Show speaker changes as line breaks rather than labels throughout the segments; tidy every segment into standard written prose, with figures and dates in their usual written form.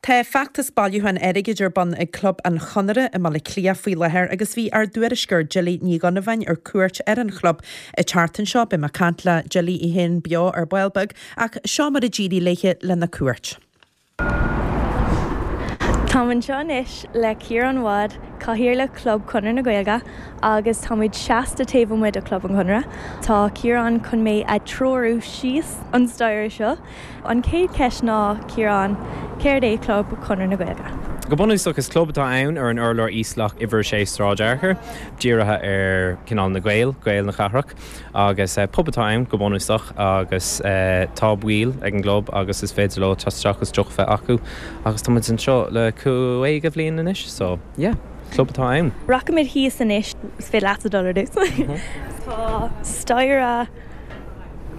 Tá feachtas bailiúcháin airgid ar bun ag Club an Chonartha i mBaile Átha Cliath faoi láthair agus bhí ár dtuairisceoir Jilly Ní Dhonnabháin ar cuairt ar an chlub an tseachtain seo. Beidh mé ag caint le Jilly í féin beo ar ball beag ach seo mar a d'éirigh léi lena cuairt.
Táim anseo anois le Ciarán Wadd, Cathaoirleach Chlub Chonradh na Gaeilge agus táimid seasta taobh amuigh de Chlub an Chonradh. Tá Ciarán chun mé a treorú síos an staighre seo. An chéad cheist ná, Ciarán, céard é Club Chonradh na Gaeilge?
Go bunúsach, is club atá ann ar an urlár íoslach uimhir 6 Sráid Fhearchair, dírithe ar cineál na Gaeil, Gaeil na cathrach, agus pub atá ann go bunúsach agus tá baill ag an gclub agus is féidir leo teacht isteach agus deoch a bheith acu agus tá muid anseo le 50 bhliain anois so yeah, club atá ann.
Rachaimid thíos anois, is féidir leatsa dul ar dtús. Tá staighre.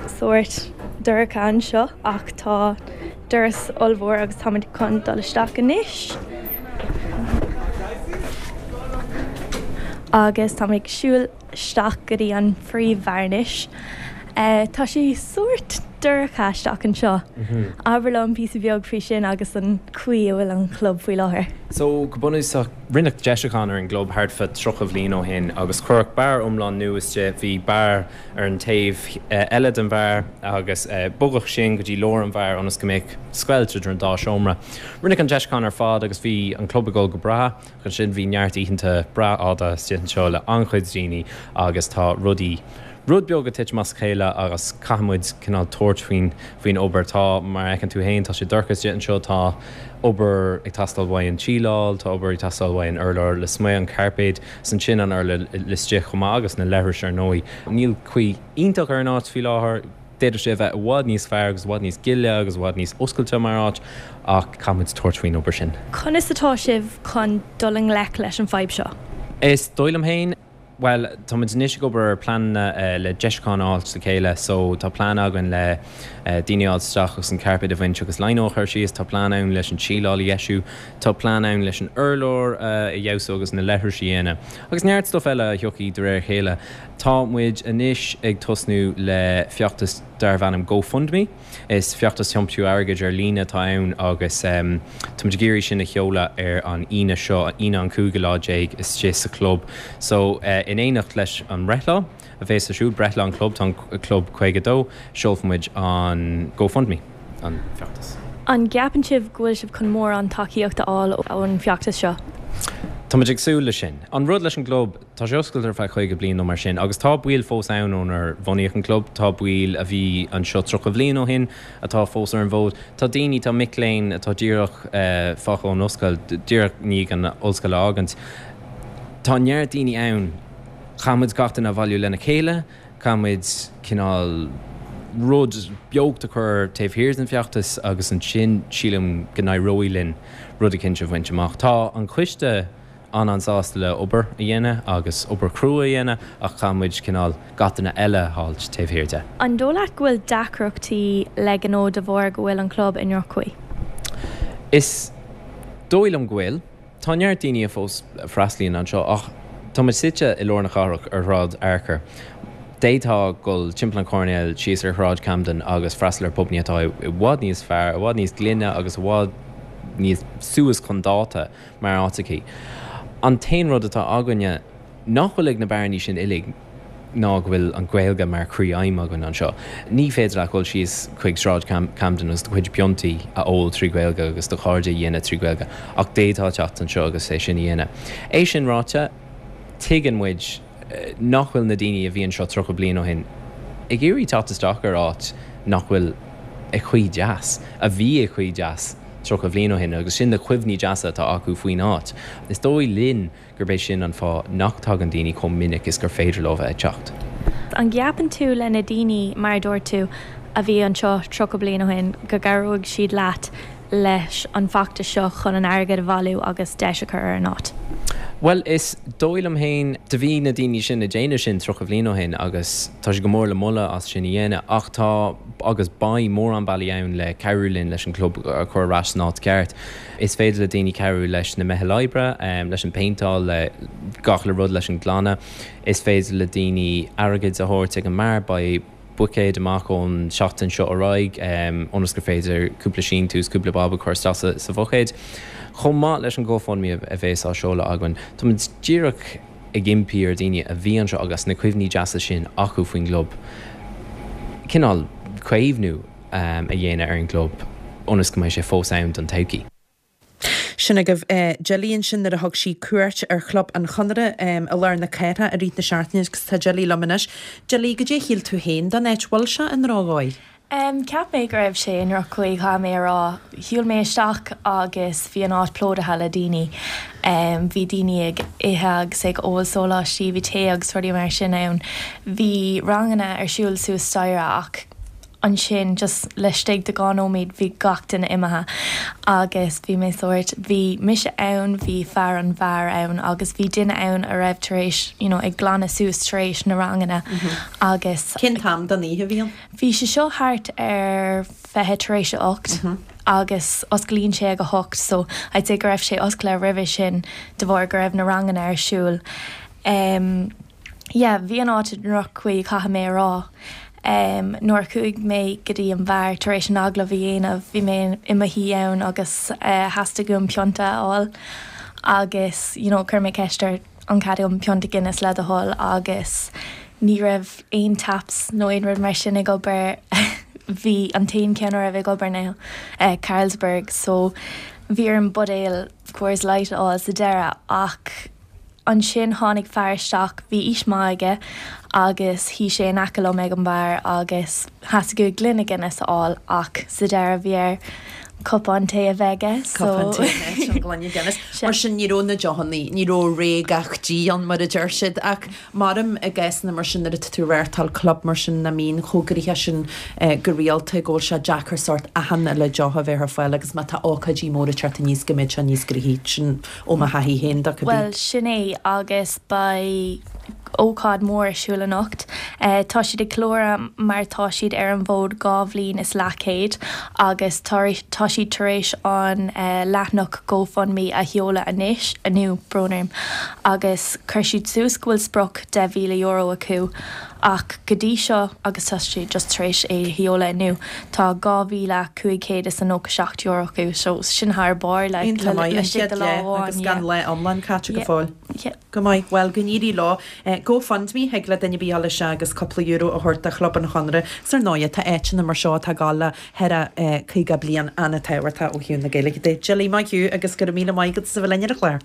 sórt dorcha anseo ach tá doras ollmhór agus táimid chun dul isteach anois. Agus táimid ag siúl isteach go dtí an phríomhbheár anois. Tá sé sórt dorcha isteach anseo. Abair liom píosa beag faoi sin agus an chaoi a bhfuil an chlub faoi láthair.
So, go bunúsach, rinneadh deisiúchán ar an gclub thart fá 30 bhliain ó shin agus cuireadh beár iomlán nua istigh. Bhí beár ar an taobh eile den bheár agus bogadh sin go dtí lár an bheáir ionas go mbeadh scoilt idir an dá seomra. Rinneadh an deisiúchán ar fad agus bhí an club ag dul go breá ach ansin bhí neart oícheanta breá fhada istigh anseo le an-chuid daoine agus tá rudaí rud beag ag titim as a chéile agus caithfidh muid cineál tabhairt faoin faoin obair. Tá, mar a fheiceann tú féin, tá sé dorcha istigh anseo, tá obair ag teastáil uaidh an tsíleáil, tá obair ag teastáil uaidh an urlár lasmuigh, an cairpéad. 's ansin an urlár laistigh chomh maith agus na leithris ar ndóigh. Níl caoi iontach ar an áit faoi láthair, d'fhéadfadh sé a bheith i bhfad níos fearr agus i bhfad níos gile agus i bhfad níos oscailte mar áit ach caithfidh muid tabhairt faoin obair sin.
Conas atá sibh chun dul i ngleic leis an fadhb seo?
Is dóigh liom féin, bhuel, tá muid anois ag obair ar pleananna le deisiúcháin a fháilt le chéile so tá plean againn le daoine a fháilt isteach agus an cairpéad a bhaint agus lino a chur síos, tá plean ann leis an tsíleáil a dheisiú, Tá plean ann leis an urlár a fheabhsú agus na leithris a dhéanamh. Agus neart stuff eile a thiocfaidh de réir a chéile. Tá muid anois ag tosnú le feachtas darbh ainm GoFundMe. Is feachtas tiomsú airgid ar líne atá ann agus tá muid ag iarraidh sin a sheoladh ar an Aoine seo, Aoine an cúigiú lá déag istigh sa chlub. So, in éineacht leis an mbreithlá a bhéas ar siúl, breithlá an chlub, tá an club 52, seolfaidh muid an GoFundMe. an
feachtas. An gceapann sibh go bhfuil sibh chun mórán tacaíocht a fháil ón bhfeachtas seo?
Tá muid ag súil leis sin. An rud leis an gclub, tá sé oscailte ar feadh 50 bliain nó mar sin agus tá baill fós ann ónar bhunaíodh an club, tá baill a bhí anseo 30 bliain ó shin atá fós ar an bhfód, tá daoine, tá mic léinn atá díreach fágtha ón ollscoil, díreach i ndiaidh an ollscoil a fhágaint. Tá neart daoine ann. Caithfidh muid gach duine a bhailiú lena chéile. Caithfidh muid cineál rud beocht a chur taobh thiar den bhfeachtas agus ansin sílim go n-éireoidh linn rud eicínt a bhaint amach. Tá an coiste an-an-sásta le obair a dhéanamh agus obair chrua a dhéanamh ach caithfidh muid cineál gach duine eile a fháilt taobh thiar de.
An dóigh leat go bhfuil deacrachtaí le gnó de bharr go bhfuil an club i ndroch-chaoi?
Is dóigh liom go bhfuil. Tá neart daoine a fós a freastalaíonn anseo ach tá muid suite i lár na cathrach ar Shráid Fhearchair. D'fhéadfá dul timpeall an choirnéil síos ar Shráid Camden agus freastal ar pubannaí atá i bhfad níos fearr, i bhfad níos glaine agus i bhfad níos suas chun dáta mar áiteachaí. An t-aon rud atá againne nach bhfuil ag na beárannaí sin uilig ná go bhfuil an Ghaeilge mar chroí-aidhm againn anseo. Ní féidir leat dul síos chuig Sráid Camden agus do chuid piontaí a ól trí Ghaeilge agus do chairde a dhéanamh trí Ghaeilge, ach d'fhéadfá teacht anseo agus é sin a dhéanamh. É sin ráite, tuigeann muid nach bhfuil na daoine a bhí anseo 30 bliain ó shin ag iarraidh teacht isteach ar áit nach bhfuil i gcaoi deas, a bhí i gcaoi deas 30 bliain ó shin, agus sin na cuimhní deasa atá acu faoin áit. Is dóigh linn gurb é sin an fáth nach dtagann daoine chomh minic is gur féidir leo bheith ag teacht.
An gceapann tú le na daoine, mar a dúirt tú, a bhí anseo 30 bliain ó shin, go gcabhróidh siad leat leis an bhfeachtas seo chun an airgead a bhailiú agus deis a chur ar an áit?
Bhuel, is dóigh liom féin, do bhí na daoine sin ag déanamh sin 30 bliain ó shin agus tá siad go mór le moladh as sin a dhéanamh ach tá agus beidh mórán bealaí ann le cabhrú linn leis an gclub a chur ar ais san áit ceart. Is féidir le daoine cabhrú leis na meithil oibre, leis an bpéinteáil, le gach uile rud, leis an glanadh. Is féidir le daoine airgead a thabhairt ag an mbeár. Beidh. buicéid amach ón seachtain seo ar aghaidh ionas gur féidir cúpla síntiús, cúpla bob a chur isteach sa bhuicéad. Chomh maith leis an GoFundMe a bhéas á seoladh againn, táimid díreach ag impí ar dhaoine a bhí anseo agus na cuimhní deasa sin acu faoin gclub, cineál caomhnú a dhéanamh ar an gclub ionas go mbeidh sé fós ann don todhchaí.
Sin agaibh Jilly ansin nuair a thug sí cuairt ar Chlub an Chonartha i lár na cathrach i rith na seachtaine agus tá Jilly liom anois. Jilly, goidé a shíl tú féin den áit? Bhfuil sé i ndrochdhóigh?
Cheap mé go raibh sé i ndroch-chaoi, caithfidh mé a rá. Shiúil mé isteach agus bhí an áit plódaithe le daoine. Bhí daoine ag ithe agus ag ól sóláistí, bhí tae agus rudaí mar sin ann. Bhí ranganna ar siúl suas staighre ach ansin just laistigh de 2 nóiméad bhí gach duine imithe agus bhí mé sórt, bhí mise ann, bhí fear an bheáir ann agus bhí duine ann a raibh tar éis you know ag glanadh suas tar éis na ranganna agus.
Cén t-am den oíche a bhí ann?
Bhí sé seo thart ar 20 tar éis a 8 agus osclaíonn sé ag a 8 so I'd say go raibh sé oscailte roimhe sin de bharr go raibh na ranganna ar siúl. Em. Yeah, bhí an áit i ndroch-chaoi, caithfidh mé a rá. Nuair a chuaigh mé go dtí an bheár tar éis an agallamh a dhéanamh, bhí mé i mo shuí ann agus theastaigh uaim pionta a fháil agus you know chuir mé ceist air an cead agam pionta Guinness le do thoil agus ní raibh aon taps nó aon rud mar sin ag obair. Bhí an t-aon cheann a raibh ag obair ná Carlsberg so bhí orm buidéal Coors Light a fháil sa deireadh ach Ansin tháinig fear isteach, bhí aois maith aige agus shuigh sé in aice liom ag an mbeár agus theastaigh uaidh gloine Guinness a fháil ach sa deireadh bhí air cupán tae a bheith aige so.
Cupán tae in áit an gloine Guinness. Mar sin ní raibh na deochanna, ní raibh rogha gach dí ann mar a deir siad ach maram i gcásanna mar sin nuair atá tú ag reáchtáil club mar sin nach mbíonn chomh gnoitheach sin go rialta go bhfuil sé deacair sórt achan uile deoch a bheith ar fáil agus má tá ócáidí móra ag teacht aníos go mbeidh sé níos gnoithí. Sin ó mo thaithí féin de, cibé.
Bhuel, sin é, agus beidh ócáid mhór ar siúl anocht. Tá siad ag ceiliúradh mar tá siad ar an bhfód 2 bhliain is leathchéad agus tá tá siad tar éis an leathanach GoFundMe a sheoladh anois, inniu, brón orm, agus chuir siad suas go bhfuil sprioc €10,000 acu. Ach go dtí seo, agus tá siad just tar éis é a sheoladh inniu, tá €2,597 acu, so sin thar barr, like,
Iontach maith, an chéad lá agus gan lá iomlán caite go fóill. Go maith, bhuel, go n-éirí leo. GoFundMe, thig le duine ar bith a dhul isteach agus cúpla euro a thabhairt do Chlub an Chonartha. 'S ar ndóighe, tá áiteanna mar seo atá ag gabháil le thar a 50 bliain an-tábhachtach ó thaobh na Gaeilge de. Jilly, maith thú agus go raibh míle maith agat as a bheith linn ar an chlár.